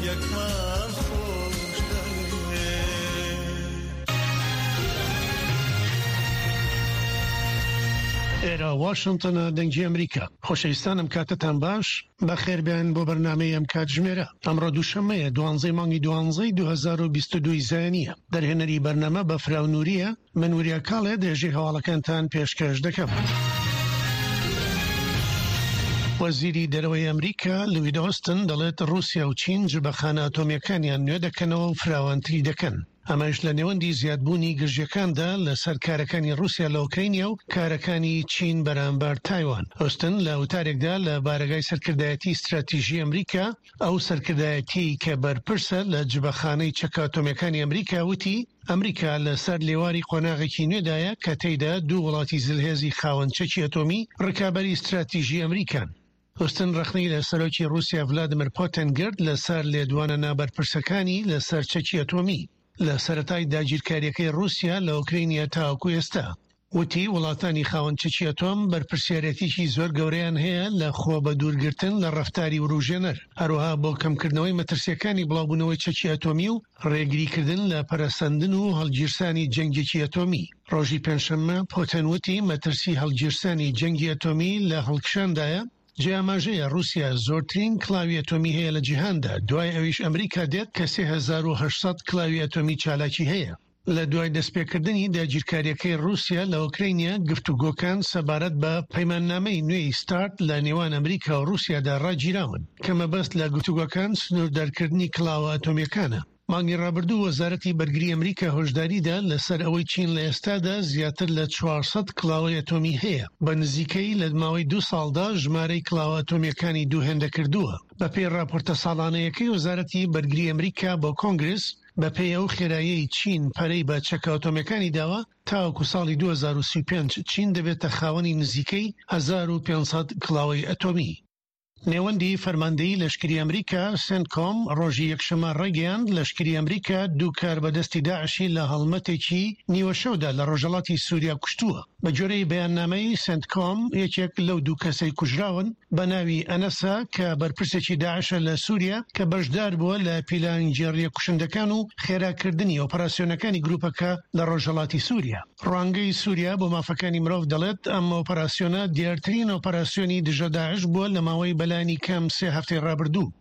یەکمان خۆش دەوێ. ئێرە واشنتنە دەنگی ئەمریکا. خۆشەویستان ئەم کاتەتان باش، بەخێربێن بۆ بەرنامەی ئەم کاتژمێرە. ئەمڕۆ دووشەممەیە دوانزەی مانگی دوانزەی 2022 زایینیە. دەرهێنەری بەرنامە بەفراو نوریە، من وریا کاڵێ درێژەی هەواڵەکانتان پێشکەش دەکەم. وەزیری دەرەوەی ئەمریکا لوید ئۆستن دەڵێت ڕووسیا و چین جبەخانە ئەتۆمییەکانیان نوێ دەکەنەوە و فراوانتری دەکەن. ئەمەش لە نێوەندی زیادبوونی گرژییەکاندا لەسەر کارەکانی ڕووسیا لە ئۆکرەینیا و کارەکانی چین بەرامبەر تایوان. ئۆستن لە وتارێکدا لە بارەگای سەرکردایەتی ستراتیژی ئەمریکا، ئەو سەرکردایەتیەی کە بەرپرسە لە جبەخانەی چەکە ئەتۆمیەکانی ئەمریکا وتی، ئەمریکا لەسەر لێواری قۆناغێکی نوێدایە کە تێیدا دوو وڵاتی زلهێزی خاوەن چەکی ئەتۆمی ڕکابەری ستراتیژی ئەمریکان. ئۆستن ڕەخنەی لە سەرۆکی ڕووسیا ڤلادیمیر پۆتن گرت لەسەر لێدوانە نابەرپرسەکانی لەسەر چەکی ئەتۆمی لە سەرەتای داگیرکارییەکەی ڕووسیا لە ئۆکرەینیا تاوەکو ئێستا. وتی، وڵاتانی خاوەن چەکی ئەتۆم بەرپرسیارێتیی زۆر گەورەیان هەیە لە خۆ بەدوورگرتن لە ڕەفتاری وروژێنەر، هەروەها بۆ کەمکردنەوەی مەترسییەکانی بڵاوبوونەوەی چەکی ئەتۆمی و ڕێگریکردن لە پەرەسەندن و هەڵگیرسانی جەنگێکی ئەتۆمی. ڕۆژی پێنجشەممە پوتن وتی، مەترسی هەڵگیرسانی جەنگی ئەتۆمی لە هەڵکشاندایە، جێی ئاماژەیە ڕووسیا زۆرترین کڵاوی ئەتۆمی هەیە لە جیهاندا، دوای ئەویش ئەمریکا دێت کە 3800 کڵاوی ئەتۆمی چالاکی هەیە. لە دوای دەستپێکردنی داگیرکارییەکەی ڕووسیا لە ئۆکرەینیا، گفتوگۆکان سەبارەت بە پەیماننامەی نوێی ستارت لە نێوان ئەمریکا و ڕووسیادا ڕاگیراون، کە مەبەست لە گفتوگۆکان سنووردارکردنی کڵاوە ئەتۆمییەکانە. مانگی ڕابردوو وەزارەتی بەرگری ئەمریکا هۆشداریدا لەسەر ئەوەی چین لە ئێستادا زیاتر لە 400 کڵاوەی ئەتۆمی هەیە، بە نزیکەی لە ماوەی دوو ساڵدا ژمارەی کڵاوە ئەتۆمییەکانی دوو هێندە کردووە. بەپێی ڕاپۆرتە ساڵانەیەکەی وەزارەتی بەرگری ئەمریکا بۆ کۆنگرس، بەپێی ئەو خێراییەی چین پەرەی بە چەکە ئەتۆمییەکانی داوە، تاوەکو ساڵی 2035 چین دەبێتە خاوەنی نزیکەی 1500 کڵاوەی ئەتۆمی. نێوەندی فەرماندەیی لەشکری ئەمریکا، سێنتکۆم، ڕۆژی یەکشەممە ڕایگەیاند، لەشکری ئەمریکا دوو کاربەدەستی داعشی لە هەڵمەتێکی نیوەشەودا لە ڕۆژهەڵاتی سوریا کوشتووە. بەگوێرەی بەیاننامەی سێنتکۆم، یەکێک لەو دوو کەسەی کوژراون بە ناوی ئەنەسە کە بەرپرسێکی داعشە لە سوریا کە بەشداربووە لە پیلانگێڕییە کوشندەکان و خێراکردنی ئۆپەراسیۆنەکانی گروپەکە لە ڕۆژهەڵاتی سوریا. ڕوانگەی سوریا بۆ مافەکانی مرۆڤ دەڵێت، ئەم ئۆپەراسیۆنە دیارترین ئۆپەراسیۆنی دژە داعش بووە لە ماوەی بەلایەنی کەم سێ هەفتەی ڕابردوو.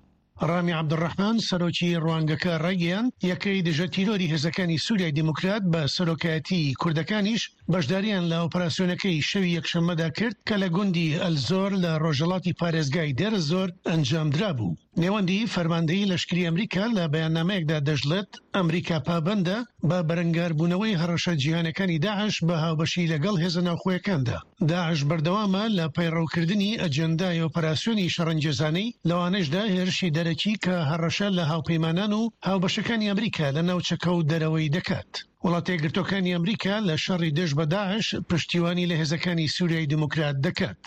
ڕامی عەبدولڕەحمان، سەرۆکی ڕوانگەکە ڕایگەیاند، یەکەی دژە تیرۆری هێزەکانی سوریای دیموکرات بە سەرۆکایەتیی کوردەکانیش بەشدارییان لە ئۆپەراسیۆنەکەی شەوی یەکشەممەدا کرد کە لە گوندی ئەلزۆر لە ڕۆژهەڵاتی پارێزگای دێرەزۆر ئەنجامدرابوو. نێوەندی فەرماندەیی لەشکری ئەمریکا لە بەیاننامەیەکدا دەشڵێت، ئەمریکا پابەندە بە بەرەنگاربوونەوەی هەڕەشە جیهانیەکانی داعش بە هاوبەشی لەگەڵ هێزە ناوخۆیەکاندا. داعش بەردەوامە لە پەیڕەوکردنی ئەجێندای ئۆپەراسیۆنی شەڕەنگێزانەی، لەوانەشدا هێرشی دەرەکی کە هەڕەشە لە هاوپەیمانان و هاوبەشەکانی ئەمریکا لە ناوچەکە و دەرەوەی دەکات. وڵاتەیەکگرتووەکانی ئەمریکا لە شەڕی دژ بە داعش پشتیوانی لە هێزەکانی سوریای دیموکرات دەکات.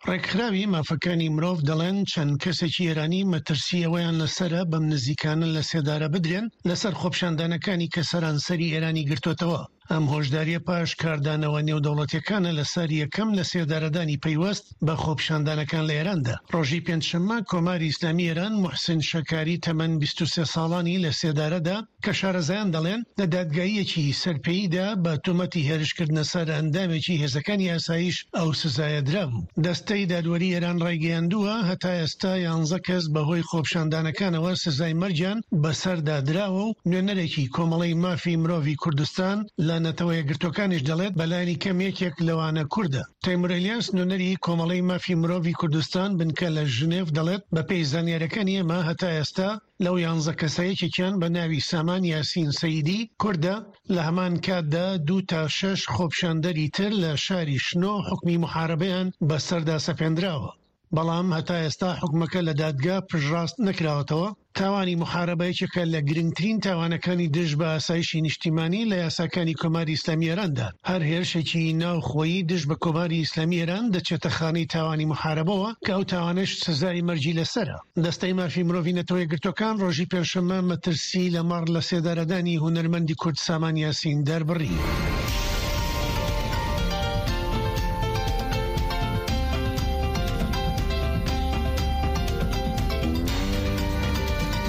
ڕێکخراوی مافەکانی مرۆڤ دەڵێن چەند کەسێکی ئێرانی مەترسی ئەوەیان لەسەرە بەم نزیکانە لە سێدارە بدرێن لەسەر خۆپیشاندانەکانی کە سەرانسەری ئێرانی گرتۆتەوە. ئەم هۆشدارییە پاش کاردانەوە نێودەوڵەتیەکانە لەسەر یەکەم لەسێدارەدانی پەیوەست بە خۆپیشاندانەکان لە ئێراندا. ڕۆژی پێنجشەممە کۆماری ئیسلامی ئێران موحسین شەکاری تەمەن 23 ساڵانی لە سێدارەدا کە شارەزایان دەڵێن لە دادگاییەکی سەرپێییدا بە تۆمەتی هێرشکردنە سەر ئەندامێکی هێزەکانی ئاسایش ئەو سزایە درابوو. دەستەی دادوەری ئێران ڕایگەیاندووە، هەتا ئێستا یانزە کەس بەهۆی خۆپیشاندانەکانەوە سزای مەرگیان بەسەردا دراوە و نوێنەرێکی کۆمەڵەی مافی مرۆڤی کوردستان لە نەتەوە یەکگرتووەکانیش دەڵێت بەلایەنی کەم یەکێک لەوانە کوردە. تەیمور ئەلیاس نوێنەری کۆمەڵەی مافی مرۆڤی کوردستان بنکە لە ژنێڤ دەڵێت بەپێی زانیاریەکانی ئێمە هەتا ئێستا لەو یانزە کەسە یەکێکیان بە ناوی سامان یاسین سەیدی کوردە، لە هەمان کاتدا دوو تا شەش خۆپیشاندەری تر لە شاری شنۆ حوکمی موحارەبەیان بەسەردا سەپێندراوە، بەڵام هەتا ئێستا حوکمەکە لە دادگا پشتڕاست نەکراوەتەوە. تاوانی موحارەبە یەکێکە لە گرنگترین تاوانەکانی دژ بە ئاسایشی نیشتیمانی لە یاساکانی کۆماری ئیسلامی ئێراندا. هەر هێرشێکی ناوخۆیی دژ بە کۆماری ئیسلامی ئێران دەچێتە خانەی تاوانی موحارەبەوە کە ئەو تاوانەش سزای مەرگی لەسەرە. دەستەی مافی مرۆڤی نەتەوە یەکگرتووەکان ڕۆژی پێنجشەممە مەترسی لەمەڕ لەسێدارەدانی هونەرمەندی کورد سامان یاسین دەربڕی.